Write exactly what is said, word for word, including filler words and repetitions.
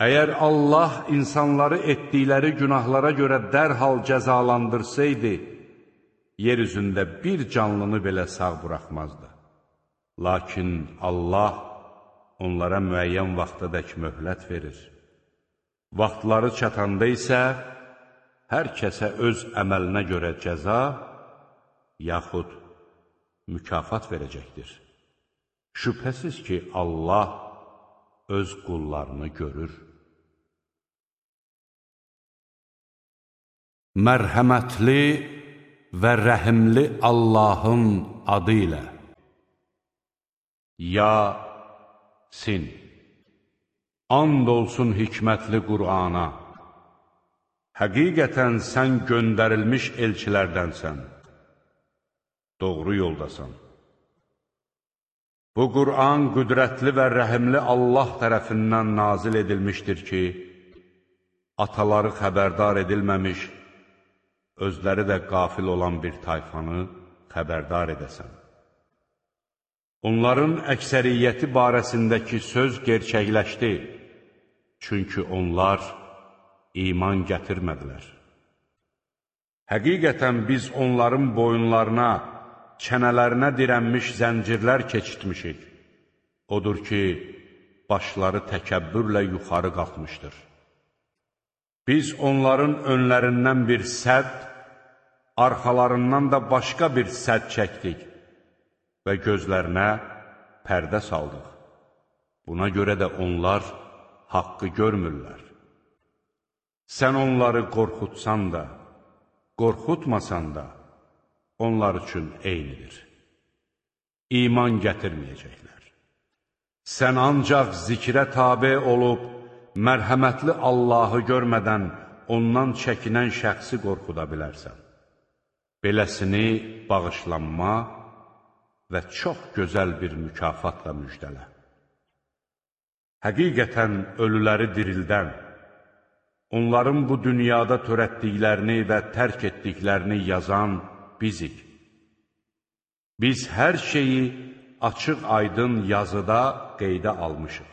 Əgər Allah insanları etdikləri günahlara görə dərhal cəzalandırsaydı, yer üzündə bir canlını belə sağ buraxmazdı. Lakin Allah onlara müəyyən vaxtadək möhlət verir. Vaxtları çatanda isə hər kəsə öz əməlinə görə cəza, yaxud mükafat verəcəkdir. Şübhəsiz ki, Allah öz qullarını görür. Mərhəmətli və rəhimli Allahın adı ilə. Yasin. And olsun hikmətli Qur'ana. Həqiqətən sən göndərilmiş elçilərdənsən. Doğru yoldasan. Bu Qur'an qüdrətli və rəhimli Allah tərəfindən nazil edilmişdir ki, ataları xəbərdar edilməmiş, özləri də qafil olan bir tayfanı xəbərdar edəsən. Onların əksəriyyəti barəsindəki söz gerçəkləşdi, çünki onlar iman gətirmədilər. Həqiqətən biz onların boyunlarına, çənələrinə dirənmiş zəncirlər keçitmişik. Odur ki, başları təkəbbürlə yuxarı qalxmışdır. Biz onların önlərindən bir sədd, arxalarından da başqa bir sədd çəkdik və gözlərinə pərdə saldıq. Buna görə də onlar haqqı görmürlər. Sən onları qorxutsan da, qorxutmasan da, onlar üçün eynidir. İman gətirməyəcəklər. Sən ancaq zikrə tabe olub, mərhəmətli Allahı görmədən ondan çəkinən şəxsi qorxuda bilərsən. Beləsini bağışlanma və çox gözəl bir mükafatla müjdələ. Həqiqətən ölüləri dirildən, onların bu dünyada törətdiklərini və tərk etdiklərini yazan bizik. Biz hər şeyi açıq aydın yazıda qeydə almışıq.